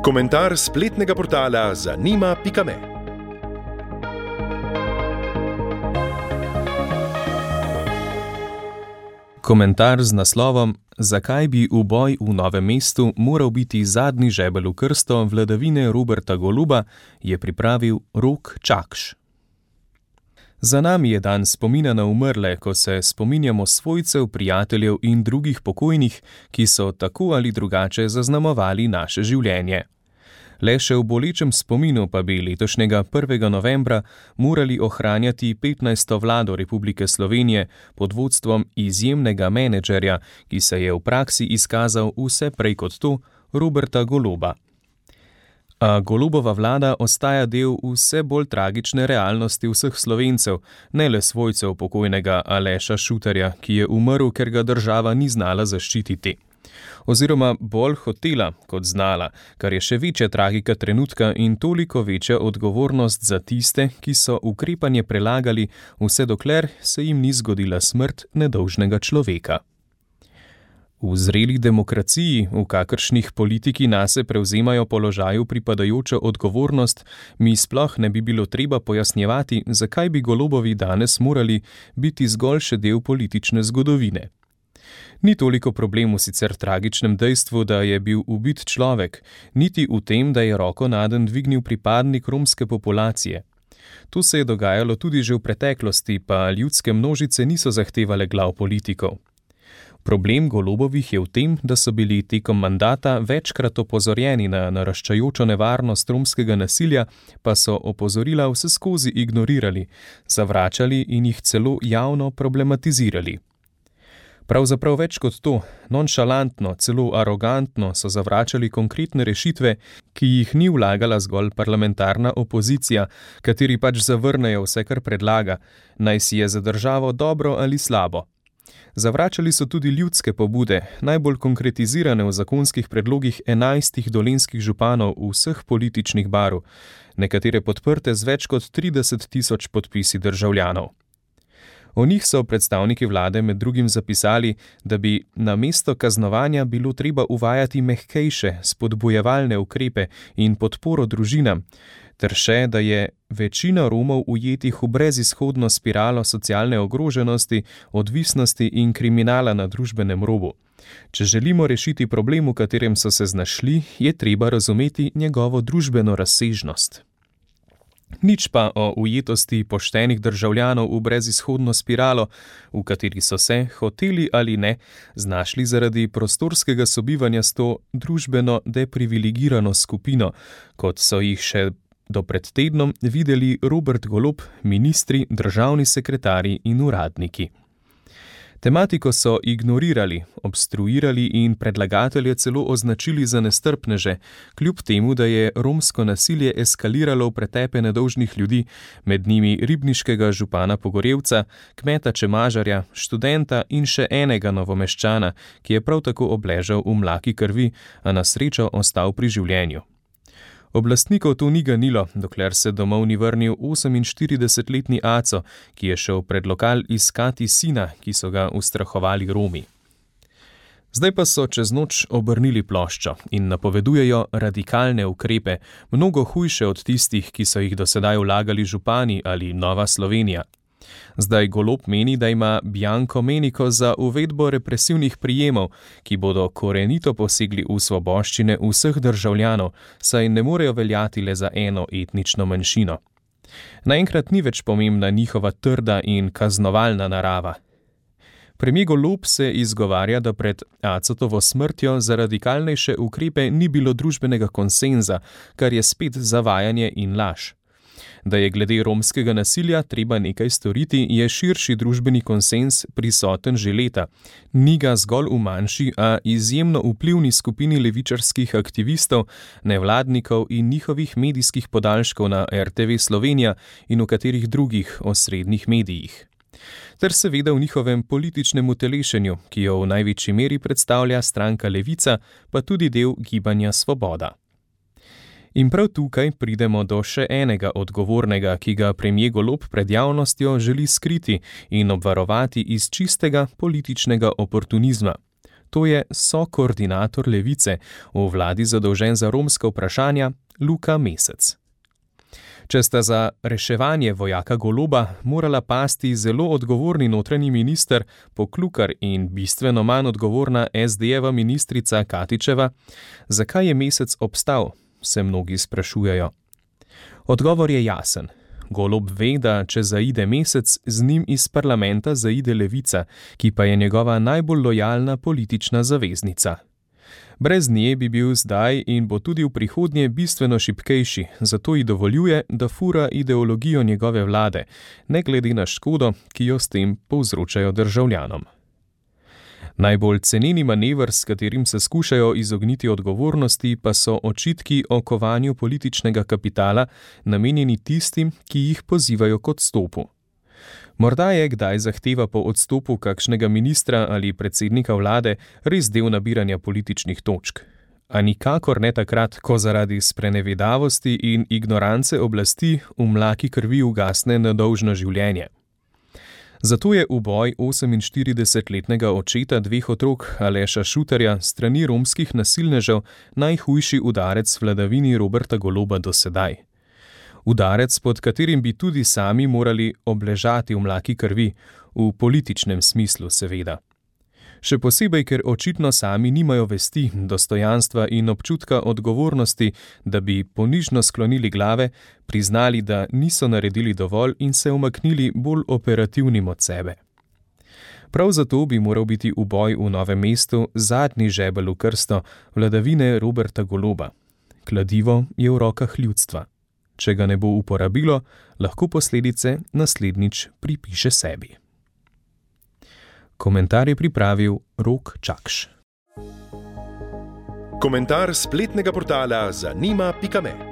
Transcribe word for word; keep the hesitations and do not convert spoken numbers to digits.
Komentar spletnega portala zanima pika me. Komentar z naslovom Zakaj bi uboj v Novem mestu moral biti zadnji žebelj v krsto vladavine Roberta Goloba, je pripravil Rok Čakš. Za nami je dan spomina na umrle, ko se spominjamo svojcev, prijateljev in drugih pokojnih, ki so tako ali drugače zaznamovali naše življenje. Le še v bolečem spominu pa bi letošnjega prvega novembra morali ohranjati petnajsto vlado Republike Slovenije pod vodstvom izjemnega menedžerja, ki se je v praksi izkazal vse prej kot to, Roberta Goloba. A Golobova vlada ostaja del vse bolj tragične realnosti vseh Slovencev, ne le svojcev pokojnega Aleša Šutarja, ki je umrl, ker ga država ni znala zaščititi. Oziroma bolj hotela kot znala, kar je še večja tragika trenutka in toliko večja odgovornost za tiste, ki so ukrepanje prelagali, vse dokler se jim ni zgodila smrt nedolžnega človeka. V zreli demokraciji, v kakršnih politiki nase prevzemajo položaju pripadajočo odgovornost, mi sploh ne bi bilo treba pojasnjevati, zakaj bi Golobovi danes morali biti zgolj še del politične zgodovine. Ni toliko problem v sicer tragičnem dejstvu, da je bil ubit človek, niti v tem, da je roko nadenj dvignil pripadnik romske populacije. To se je dogajalo tudi že v preteklosti, pa ljudske množice niso zahtevale glav politikov. Problem Golobovih je v tem, da so bili tekom mandata večkrat opozorjeni na naraščajočo nevarnost romskega nasilja, pa so opozorila vseskozi ignorirali, zavračali in jih celo javno problematizirali. Pravzaprav več kot to, nonšalantno, celo arogantno so zavračali konkretne rešitve, ki jih ni vlagala zgolj parlamentarna opozicija, kateri pač zavrnejo vse, kar predlaga, naj si je za državo dobro ali slabo. Zavračali so tudi ljudske pobude, najbolj konkretizirane v zakonskih predlogih enajstih dolenjskih županov vseh političnih barv, nekatere podprte z več kot trideset tisoč podpisi državljanov. O njih so predstavniki vlade med drugim zapisali, da bi namesto kaznovanja bilo treba uvajati mehkejše, spodbujevalne ukrepe in podporo družinam, ter še, da je večina Romov ujetih v brezizhodno spiralo socialne ogroženosti, odvisnosti in kriminala na družbenem robu. Če želimo rešiti problem, v katerem so se znašli, je treba razumeti njegovo družbeno razsežnost. Nič pa o ujetosti poštenih državljanov v brezizhodno spiralo, v kateri so se, hoteli ali ne, znašli zaradi prostorskega sobivanja s to družbeno deprivilegirano skupino, kot so jih še do pred tednom videli Robert Golob, ministri, državni sekretarji in uradniki. Tematiko so ignorirali, obstruirali in predlagatelje celo označili za nestrpneže, kljub temu, da je romsko nasilje eskaliralo v pretepe nedolžnih ljudi, med njimi ribniškega župana Pogorevca, kmeta Čemažarja, študenta in še enega Novomeščana, ki je prav tako obležal v mlaki krvi, a na srečo ostal pri življenju. Oblastnikov to ni ganilo, dokler se domov ni vrnil oseminštiridesetletni Aco, ki je šel pred lokal iskati sina, ki so ga ustrahovali Romi. Zdaj pa so čez noč obrnili ploščo in napovedujejo radikalne ukrepe, mnogo hujše od tistih, ki so jih dosedaj vlagali župani ali Nova Slovenija. Zdaj Golob meni, da ima bianko meniko za uvedbo represivnih prijemov, ki bodo korenito posegli v svoboščine vseh državljanov, saj ne morejo veljati le za eno etnično manjšino. Naenkrat ni več pomembna njihova trda in kaznovalna narava. Premier Golob se izgovarja, da pred Acotovo smrtjo za radikalnejše ukrepe ni bilo družbenega konsenza, kar je spet zavajanje in laž. Da je glede romskega nasilja treba nekaj storiti, je širši družbeni konsenz prisoten že leta. Ni ga zgolj v manjši, a izjemno vplivni skupini levičarskih aktivistov, nevladnikov in njihovih medijskih podaljškov na er te ve Slovenija in v katerih drugih osrednjih medijih. Ter seveda v njihovem političnem utelešenju, ki jo v največji meri predstavlja stranka Levica, pa tudi del gibanja Svoboda. In prav tukaj pridemo do še enega odgovornega, ki ga premier Golob pred javnostjo želi skriti in obvarovati iz čistega političnega oportunizma. To je sokoordinator Levice, v vladi zadolžen za romska vprašanja, Luka Mesec. Če sta za reševanje vojaka Goloba morala pasti zelo odgovorni notranji minister Poklukar in bistveno manj odgovorna es de jeva ministrica Katičeva, zakaj je Mesec obstal, se mnogi sprašujejo. Odgovor je jasen. Golob ve, da če zaide Mesec, z njim iz parlamenta zaide Levica, ki pa je njegova najbolj lojalna politična zaveznica. Brez nje bi bil zdaj in bo tudi v prihodnje bistveno šibkejši, zato ji dovoljuje, da fura ideologijo njegove vlade, ne glede na škodo, ki jo s tem povzročajo državljanom. Najbolj ceneni manever, s katerim se skušajo izogniti odgovornosti, pa so očitki o kovanju političnega kapitala, namenjeni tistim, ki jih pozivajo k odstopu. Morda je kdaj zahteva po odstopu kakšnega ministra ali predsednika vlade res del nabiranja političnih točk. A nikakor ne takrat, ko zaradi sprenevedavosti in ignorance oblasti v mlaki krvi ugasne nedolžno življenje. Zato je uboj oseminštiridesetletnega očeta dveh otrok Aleša Šuterja strani romskih nasilnežev najhujši udarec vladavini Roberta Goloba do sedaj. Udarec, pod katerim bi tudi sami morali obležati v mlaki krvi, v političnem smislu seveda. Še posebej, ker očitno sami nimajo vesti, dostojanstva in občutka odgovornosti, da bi ponižno sklonili glave, priznali, da niso naredili dovolj in se umaknili bolj operativnim od sebe. Prav zato bi moral biti uboj v Novem mestu zadnji žebelj v krsto vladavine Roberta Goloba. Kladivo je v rokah ljudstva. Če ga ne bo uporabilo, lahko posledice naslednjič pripiše sebi. Komentar je pripravil Rok Čakš. Komentar spletnega portala zanima pika me.